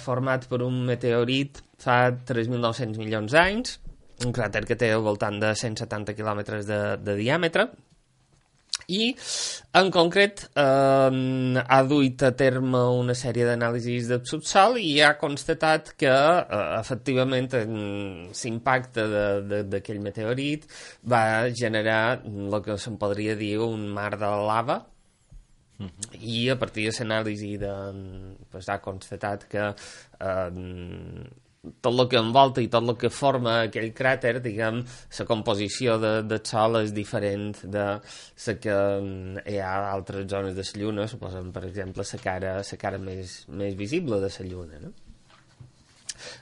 format per un meteorit fa 3.900 milions d'anys, un cràter que té al voltant de 170 quilòmetres de diàmetre, I, en concret, ha duit a terme una sèrie d'anàlisis del subsòl i ha constatat que, efectivament, l'impacte d'aquell meteorit va generar el que se'n podria dir un mar de lava, i a partir de l'anàlisi ha constatat que tot el que envolta i tot el que forma aquell cràter, diguem, la composició del Sol és diferent de la que hi ha a altres zones de la Lluna, suposem, per exemple, la cara més visible de la Lluna, no?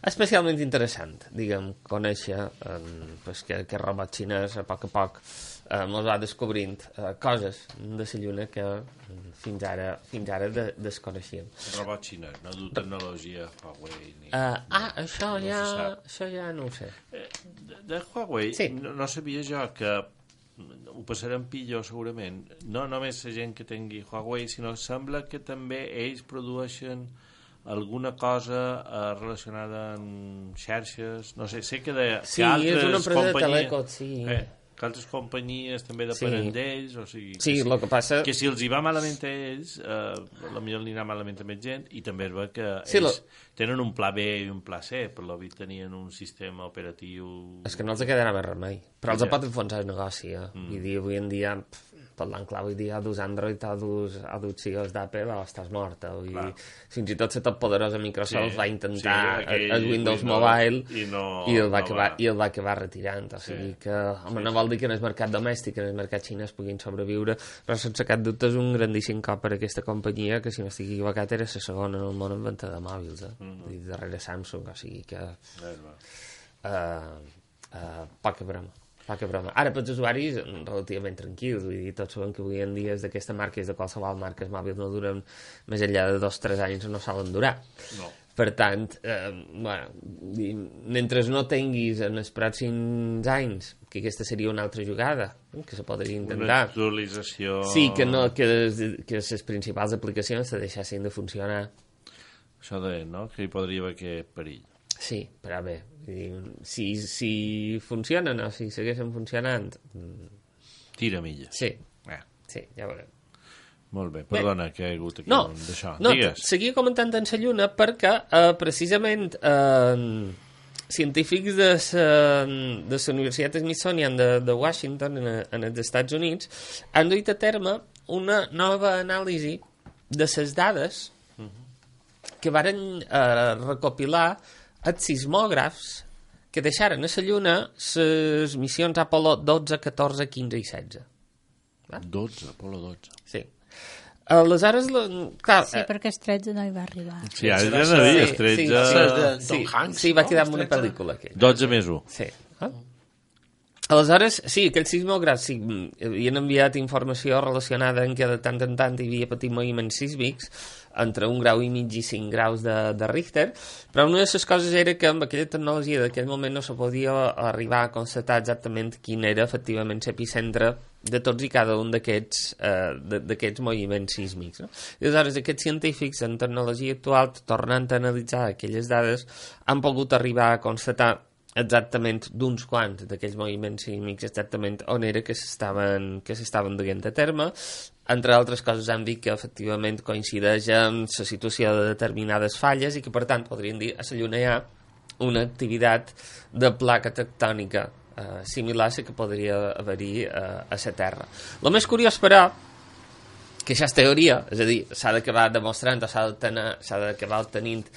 Especialment interessant, diguem, conèixer que aquest robot xinès a poc ens va descobrint coses de la Lluna que fins ara desconeixíem. Robot xinès, no du tecnologia Huawei ni... Això ja no ho sé. De Huawei no sabia jo que ho passarem pitjor segurament, no només la gent que tingui Huawei, sinó sembla que també ells produeixen alguna cosa relacionada amb xarxes, no sé, sé que és una empresa de telecom, que altres companyies també depenen d'ells, o sigui, el que passa... que si els hi va malament a ells, potser li anirà malament a més gent, i també es veu que ells tenen un pla B i un pla C, per lo vist tenien un sistema operatiu... És que no els quedarà més remei, però els pot enfonsar el negoci, vull dir, avui en dia... parlant clar, vull dir, a dus Android, a dus CEOs d'Apple, estàs morta. Fins i tot la tot poderosa Microsoft va intentar el Windows Mobile i el va acabar retirant. O sigui que, home, no vol dir que en el mercat domèstic, en el mercat xinès puguin sobreviure, però sense cap dubte és un grandíssim cop per a aquesta companyia que, si no estic equivocat, era la segona en el món en venda de mòbils, darrere Samsung, o sigui que... poca broma. Ara, pels usuaris, relativament tranquils. Vull dir, tots sabem que avui en dia és d'aquesta marca, és de qualsevol marca, els mòbils no duren més enllà de 2 o 3 anys, no solen durar. No. Per tant, mentre no tinguis en els pròxims anys, que aquesta seria una altra jugada, que se podria intentar... Una actualització... Sí, que les principals aplicacions se deixessin de funcionar. Això no? Que hi podria haver aquest perill. Sí, però bé, si funcionen o si segueixen funcionant... Tira milla. Sí, ja veurem. Molt bé, perdona que hi ha hagut aquí d'això. Digues. Seguia comentant en la Lluna perquè precisament científics de la Universitat Smithsonian de Washington en els Estats Units han duit a terme una nova anàlisi de les dades que varen recopilar els sismògrafs que deixaren a la Lluna les missions Apollo 12, 14, 15 i 16. 12, Apollo 12. Sí. Aleshores, clar... Sí, perquè el 13 no hi va arribar. Sí, ara ja no dir, el 13... Sí, va quedar amb una pel·lícula. 12 més 1. Sí. Aleshores, sí, aquells sismògrafs havien enviat informació relacionada amb que de tant en tant hi havia patit moviments sísmics entre 1,5 graus i 5 graus de Richter, però una de les coses era que amb aquella tecnologia d'aquell moment no se podia arribar a constatar exactament quin era efectivament l'epicentre de tots i cada un d'aquests moviments sísmics. No? I aleshores aquests científics en tecnologia actual, tornant a analitzar aquelles dades, han pogut arribar a constatar exactament d'uns quants d'aquells moviments sísmics, exactament on era que s'estaven duent a terme. Entre altres coses han dit que efectivament coincideix amb la situació de determinades falles i que per tant podríem dir a la Lluna hi ha una activitat de placa tectònica similar a la que podria haver-hi a la Terra. El més curiós, però, que això és teoria, és a dir, s'ha d'acabar demostrant o s'ha d'acabar obtenint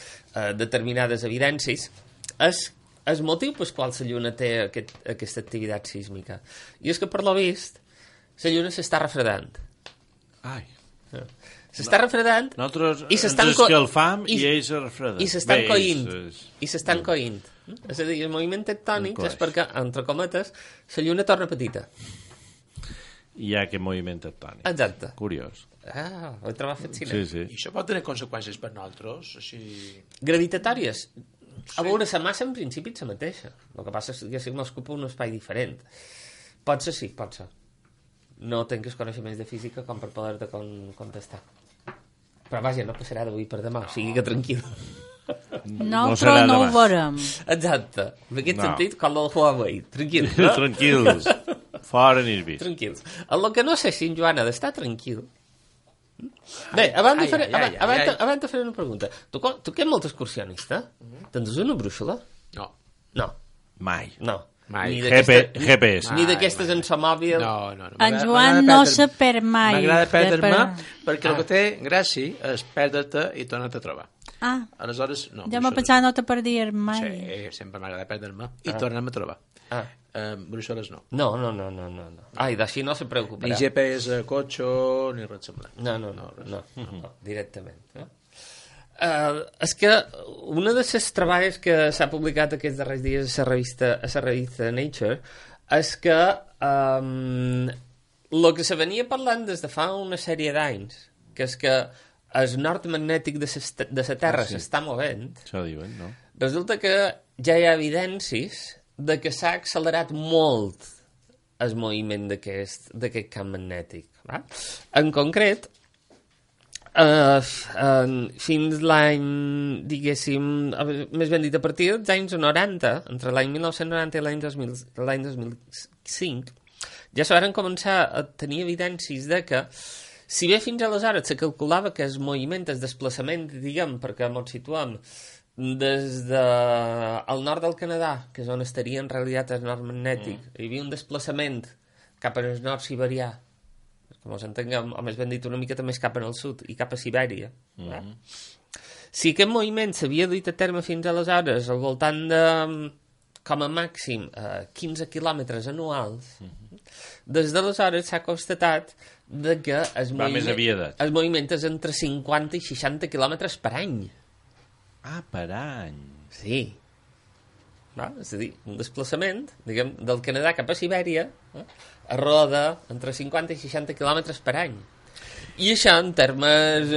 determinades evidències, és el motiu pel qual la Lluna té aquesta activitat sísmica. I és que, per lo vist, la Lluna s'està refredant. Ai. S'està refredant i s'estan escalfant i ells se refreden. I s'estan coint. I s'estan coint. És a dir, el moviment tectònic és perquè, entre cometes, la Lluna torna petita. Hi ha aquest moviment tectònic. Exacte. Curiós. Ho he trobat fascinant. Sí. I això pot tenir conseqüències per nosaltres? Així... Gravitatòries? A veure, la massa en principi és la mateixa. El que passa és que si m'ocupa un espai diferent. Pot ser, sí, pot ser. No tinc els coneixements de física com per poder-te contestar. Però vaja, no passarà d'avui per demà, o sigui que tranquil. No, però no ho veurem. Exacte. En aquest sentit, com el Huawei. Tranquil. Tranquils. Fora Nirbis. Tranquils. El que no sé si en Joan ha d'estar tranquil. Bé, abans de fer una pregunta. Tu que ets molt excursionista? Tens una brúixola? No. No. Mai. No. Ni GPS. Ni d'aquestes en sa mòbil. No. En Joan no se perd mai. M'agrada perdre-me perquè el que té gràcia és perdre-te i tornar-te a trobar. Aleshores, no. Jo m'ho pensava no te perdies mai. Sí, sempre m'agrada perdre-me i tornar-me a trobar. Bruixoles no. No. Ai, d'així no se preocuparà. Ni GPS, cotxe, ni res semblant. No, directament. És que una de les treballs que s'ha publicat aquests darrers dies a la revista Nature és que el que se venia parlant des de fa una sèrie d'anys, que és que el nord magnètic de la Terra s'està movent. Això diuen, no? Resulta que ja hi ha evidències de que s'ha accelerat molt el moviment d'aquest camp magnètic. Va? En concret, fins l'any, diguéssim, més ben dit, a partir dels anys 90, entre l'any 1990 i l'any 2005, ja se van començar a tenir evidències de que, si bé fins aleshores se calculava que el moviment, el desplaçament, diguem, perquè ens situem des del nord del Canadà, que és on estaria en realitat el nord magnètic, hi havia un desplaçament cap al nord siberià, com us entenguem, o més ben dit una mica més cap al sud i cap a Sibèria. Si aquest moviment s'havia duit a terme fins aleshores al voltant de, com a màxim, 15 quilòmetres anuals, des d'aleshores s'ha constatat que el moviment és entre 50 i 60 quilòmetres per any. Per any? Sí. És a dir, un desplaçament, diguem, del Canadà cap a Sibèria, a roda entre 50 i 60 quilòmetres per any. I això, en termes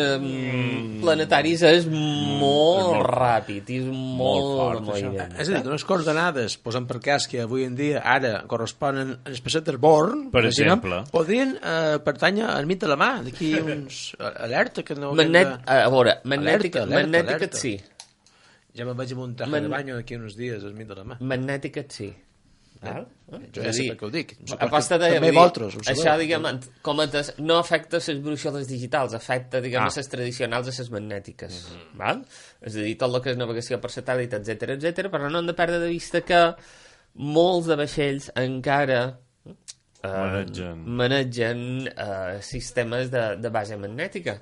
planetaris, és molt ràpid i és molt fort. És a dir, unes coordenades, posem per cas que avui en dia ara corresponen als pessetes Born, per exemple, podrien pertànyer al mig de la mà, d'aquí uns... Alerta que no... A veure, magnètica sí. Ja me'n vaig a un traje de banyo d'aquí uns dies al mig de la mà. Magnètica sí. Jo ja sé per què ho dic. També vosaltres ho sabeu. Això, diguem, no afecta les bruixoles digitals, afecta, diguem, les tradicionals a les magnètiques. És a dir, tot el que és navegació per satèl·lit, etc, però no hem de perdre de vista que molts de vaixells encara manegen sistemes de base magnètica.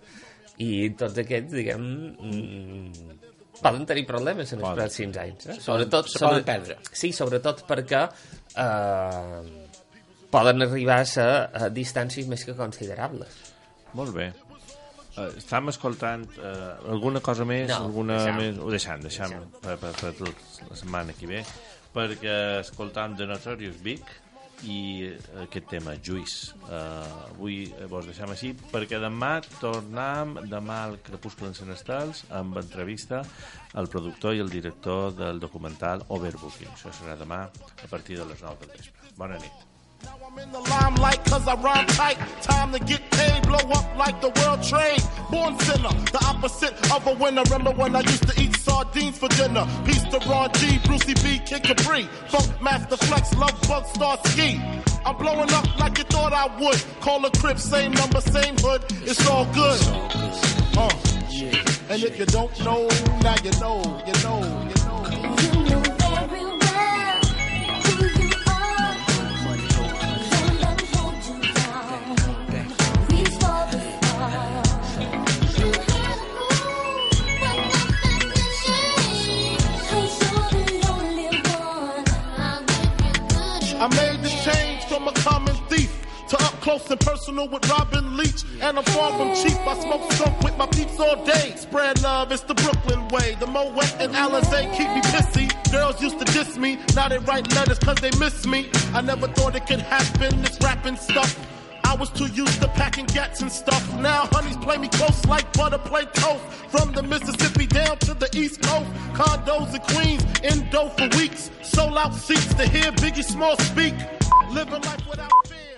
I tots aquests, diguem... poden tenir problemes en els pròxims anys. Sobretot, se poden perdre. Sí, sobretot perquè poden arribar a distàncies més que considerables. Molt bé. Estàvem escoltant alguna cosa més? Ho deixem per la setmana que ve, perquè escoltam The Notorious Big i aquest tema, Juice. Avui vos deixem així perquè demà tornem al Crepuscle en Senestals amb entrevista al productor i el director del documental Overbooking. Això serà demà a partir de les 9 del vespre. Bona nit. Now I'm in the limelight cause I rhyme tight. Time to get paid, blow up like the world trade. Born sinner, the opposite of a winner. Remember when I used to eat sardines for dinner? Peace to Ron G, Brucey B, Kid Capri, Funk Master Flex, Love Bug, Star Ski. I'm blowing up like you thought I would. Call a crib, same number, same hood. It's all good. And if you don't know, now you know, you know, you know. I made this change from a common thief to up close and personal with Robin Leach. And I'm far from cheap, I smoke skunk with my peeps all day. Spread love, it's the Brooklyn way. The Moet and Alizé keep me pissy. Girls used to diss me, now they write letters cause they miss me. I never thought it could happen, this rapping stuff. I was too used to packing gats and stuff. Now honeys play me close like butter play toast. From the Mississippi down to the East Coast. Condos in Queens, in dough for weeks. Sold out seats to hear Biggie Small speak. Living life without fear.